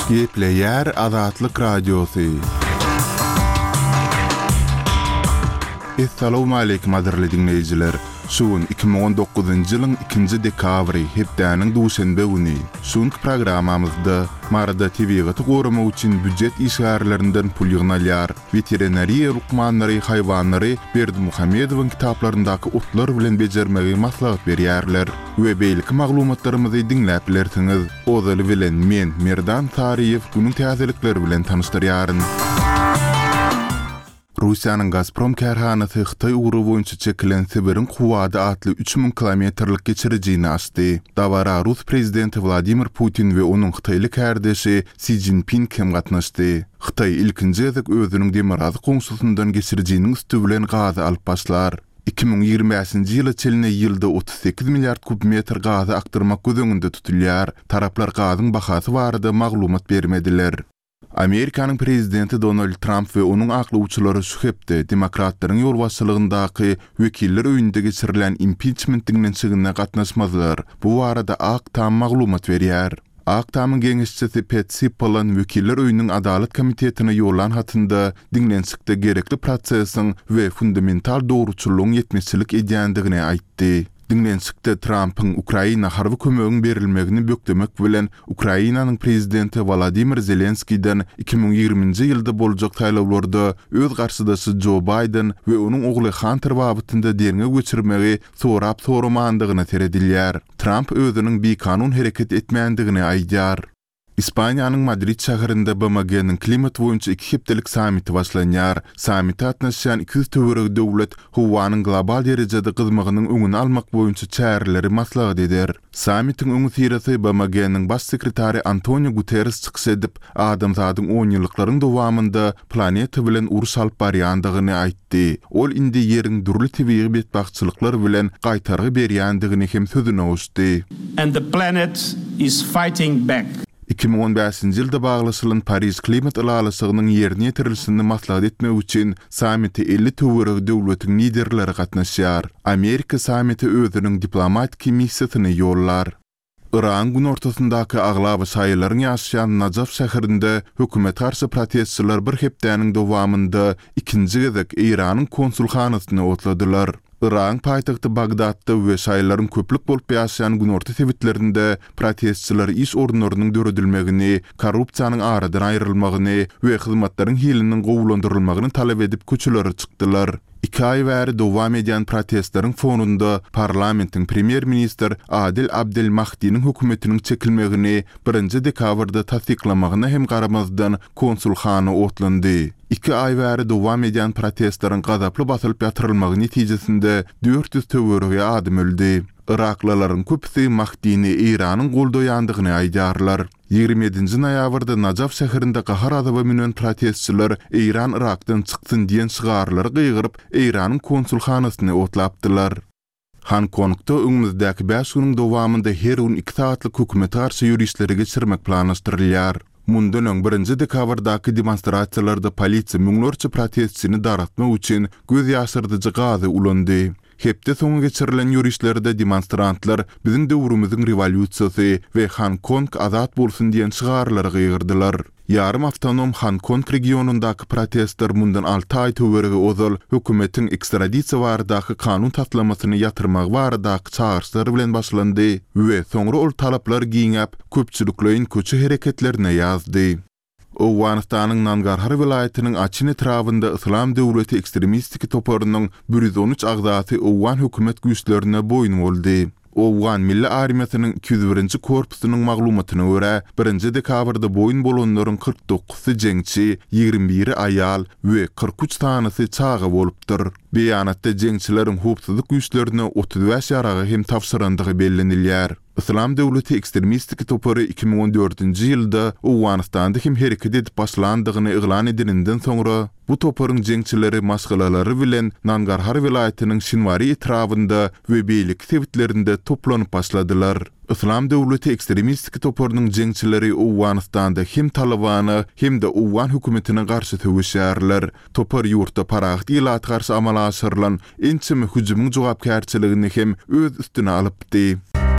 Gepleýär Azatlyk Radiosy. Essalawmaleýkim gadyrly diňleýjiler! Şu gün 2019-njy ýylyň ikinji dekabry, hepdäniň duşenbe güni. Şu günki programmamyzda Maryda tebigaty goramak üçin býujet işgärlerinden pul ýygnalýar. Weterinariýa lukmanlary haýwanlary Berdimuhamedowyň kitaplaryndaky otlar bilen bejermegi maslahat berýärler we beýleki maglumatlarymyzy diňläp bilersiňiz. Ozaly bilen men, Merdan Saryýew günüň täzelikleri bilen tanyşdyrýaryn. Russiýanyň Gazprom kärhanasy Hytaý ugry boýunça çekilen Sibiriň kuwwady atly 3000 kilometrlik geçirijini açdy. Dabara rus prezidenti Wladimir Putin we onuň hytaýly kärdeşi Si Szinping hem gatnaşdy. Hytaý ilkinji gezek özüniň demirgazyk goňşusyndan geçirijiniň üsti bilen gazy alyp başlar. 2025-nji ýyla çenli ýylda 38 milliard kub metr gazy akdyrmak göz öňünde tutulýar. Taraplar gazyň bahasy barada maglumat bermediler. Amerikanyň prezidenti Donald Tramp we onuň aklawçylary şu hepde demokratlaryň ýolbaşçylygyndaky Wekiller öýünde geçirilýän impiçment diňlenişigine gatnaşmazlar. Bu barada Ak Tam maglumat berýär. Ak Tamyň geňeşçisi Pet Sippolan Wekiller öýüniň Adalat komitetine ýollan hatynda diňlenişikde gerekli prosesiň we fundamental dogruçyllygyň ýetmezçilik edýändigini aýtdy. Diňlenişikde Trampyň Ukraina harby kömegiň berilmegini bökdemek bilen Ukrainanyň prezidenti Wolodymyr Zelenskiden 2020-nji ýylda boljak saýlawlarda öz garşydaşy Jo Baýden we onuň ogly Hanter babatynda derňew geçirmegi sorap-soramandygyna seredilýär. Tramp özüniň bikanun hereket etmändigini aýdýar. Ispaniýanyň Madrid şäherinde BMG-niň klimat boýunça iki hepdelik sammiti başlanýar. Sammite gatnaşýan 200 töweregi döwlet howanyň global derejede gyzmagynyň öňüni almak boýunça çäreleri maslahat eder. Sammitiň öňüsyrasy BMG-niň Baş sekretary Antonio Guterres çykyş edip, adamzadyň onýyllyklaryň dowamynda planeta bilen uruş alyp barýandygyny aýtdy. Di. Ol indi Ýeriň dürli tebigy betbagtçylyklar bilen gaýtargy berýändigini hem sözüne goşdy. And the planet is fighting back. 2015-nji ýylda baglaşylan Pariž klimat ylalaşygynyň ýerine ýetirilişini maslahat etmek üçin sammite 50 töweregi döwletiň liderleri gatnaşýar. Amerika sammite özüniň diplomatiki missiýasyny ýollar. Yragyň günortasyndaky aglaba şaýylaryň ýaşaýan Najaf şäherinde hökümete garşy protestçiler bir hepdäniň dowamynda ikinji gezek Eýranyň konsulhanasyny otladylar. Yragyň paýtagty Bagdatda we şaýylaryň köplük bolup ýaşaýan günorta sebitlerinde protestçiler iş orunlarynyň döredilmegini, korrupsiýanyň aradan aýrylmagyny we hyzmatlaryň hiliniň gowulandyrylmagyny talap edip köçelere çykdylar. Iki aý bäri dowam edýän protestleriň fonunda parlamentiň premýer-ministr Adel Abdel Mahdiniň hökümetiniň çekilmegini birinji dekabrda tassyklamagyna hem garamazdan konsulhana otlandy. Iki aý bäri dowam edýän protestleriň gazaply basylyp ýatyrylmagy netijesinde 400 töweregi adam öldi. Yraklylaryň köpüsi Mahdini Eýranyň goldaýandygyny aýdýarlar. 27-nji noýabrda Najaf şäherinde gahar-gazaba münen protestçiler Eýran Yrakdan çyksyn diýen şygarlary gygyryp, Eýranyň konsulhanasyny otlapdylar. Honkongda öňümizdäki bäş günüň dowamynda her gün iki sagatlyk hökümete garşy ýörişleri geçirmek planlaşdyrylýar. Mundan öň birinji dekabrdaky demonstrasiýalarda polisiýa müňlerçe protestçini dargatmak üçin göz ýaşardyjy gazy ulandy. Hepde soňy geçirilen ýörişlerde demonstrantlar Biziň döwrümiziň rewolýusiýasy we Honkong azat bolsun diýen şygarlary gygyrdylar. Ýarym awtonom Honkong regionyndaky protestler mundan alty aý töweregi ozal hökümetiň ekstradisiýa baradaky kanun taslamasyny ýatyrmagy baradaky çagyryşlar bilen başlandy we soňra ol talaplar giňäp, köpçülikleýin köçe hereketlerine ýazdy. Owganystanyň Nangarhar welaýatynyň Açin etrabynda Yslam döwleti ekstremistiki toparynyň 113 agzasy owgan hökümet güýçlerine boýun boldy. Owgan milli armiýasynyň 201-nji korpusynyň maglumatyna görä, birinji dekabrda boýun bolanlaryň 49-sy jeňçi, 21-i aýal we 43 sanysy çaga bolupdyr. Beýanatda jeňçileriň howpsuzlyk güýçlerine 35 ýaragy hem tabşyrandygy bellenilýär. Yslam döwleti ekstremistik topary 2014-nji ýylda Owganystanda hem hereket edip başlandygyny yglan edeninden soňra, bu toparyň jeňçileri maşgalalary bilen Nangarhar welaýatynyň Şinwari etrabynda we beýleki sebitlerinde toplanyp başladylar. Yslam döwleti ekstremistik toparynyň jeňçileri Owganystanda hem Talybana, hem-de owgan hökümetine garşy söweşýärler. Topar ýurtda parahat ilata garşy amala aşyrylan ençeme hüjümiň jogapkärçiligini hem öz üstüne alypdy.